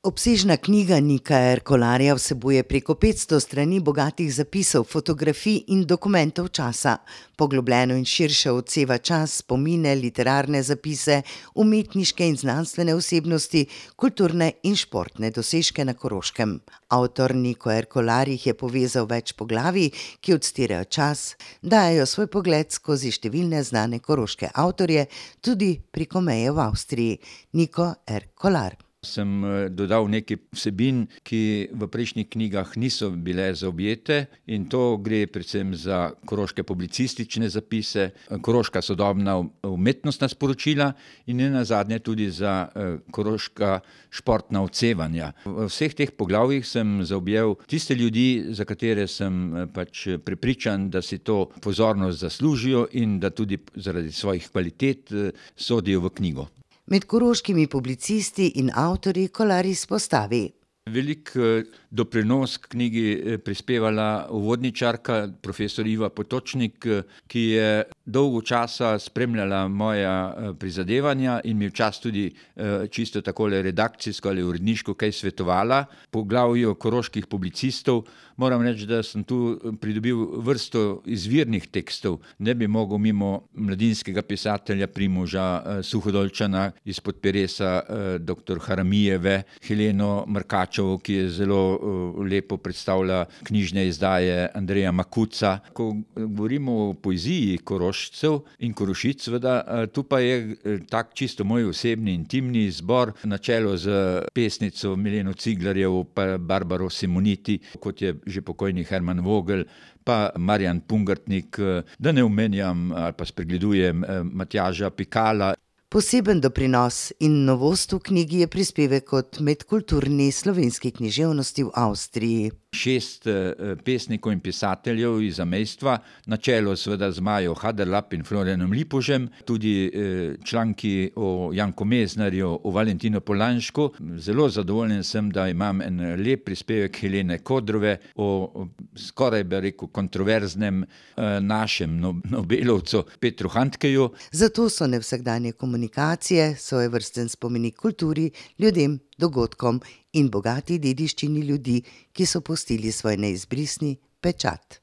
Obsežna knjiga Nika R. Kolarja vsebuje preko 500 strani bogatih zapisov, fotografij in dokumentov časa. Poglobljeno in širše odseva čas, spomine, literarne zapise, umetniške in znanstvene osebnosti, kulturne in športne dosežke na Koroškem. Avtor Niko R. Kolar jih je povezal več poglavij, ki odstirajo čas, dajejo svoj pogled skozi številne znane koroške avtorje, tudi preko meje v Avstriji. Niko R. Kolar. Sem dodal nekaj vsebin, ki v prejšnjih knjigah niso bile zaobjete, in to gre predvsem za koroške publicistične zapise, koroška sodobna umetnostna sporočila in nenazadnje tudi za koroška športna odsevanja. V vseh teh poglavjih sem zaobjel tiste ljudi, za katere sem prepričan, da si to pozornost zaslužijo in da tudi zaradi svojih kvalitet sodijo v knjigo. Med koroškimi publicisti in avtorji Kolar izpostavi: Velik doprinos k knjigi prispevala uvodničarka, profesor Iva Potočnik, ki je dolgo časa spremljala moja prizadevanja in mi včasih tudi čisto takole redakcijsko ali uredniško kaj svetovala. Po poglavju koroških publicistov moram reči, da sem tu pridobil vrsto izvirnih tekstov. Ne bi mogel mimo mladinskega pisatelja Primoža Suhodolčana, izpod peresa dr. Haramijeve, Heleno Markačevo, ki je zelo lepo predstavlja knjižne izdaje Andreja Makuca. Ko govorimo o poeziji Korošcev in Korošic, seveda, tu pa je tak čisto moj osebni, intimni izbor na čelu z pesnico Mileno Ciglarjevo, pa Barbaro Simoniti, kot je že pokojni Herman Vogel, pa Marjan Pungartnik, da ne omenjam ali pa spregledujem Matjaža Pikala. Poseben doprinos in novost v knjigi je prispevek od medkulturni slovenski književnosti v Avstriji. 6 pesnikov in pisateljev iz zamejstva, na čelu seveda z Majo Haderlap in Florianom Lipužem, tudi članki o Janku Meznarju, o Valentinu Polanšku. Zelo zadovoljen sem, da imam en lep prispevek Helene Kodrove o skoraj bi rekel kontroverznem našem Nobelovcu Petru Handkeju. Zato so nevsakdanje komunikacije svojevrsten spomenik kulturi, ljudem, dogodkom in bogati dediščini ljudi, ki so pustili svoj neizbrisni pečat.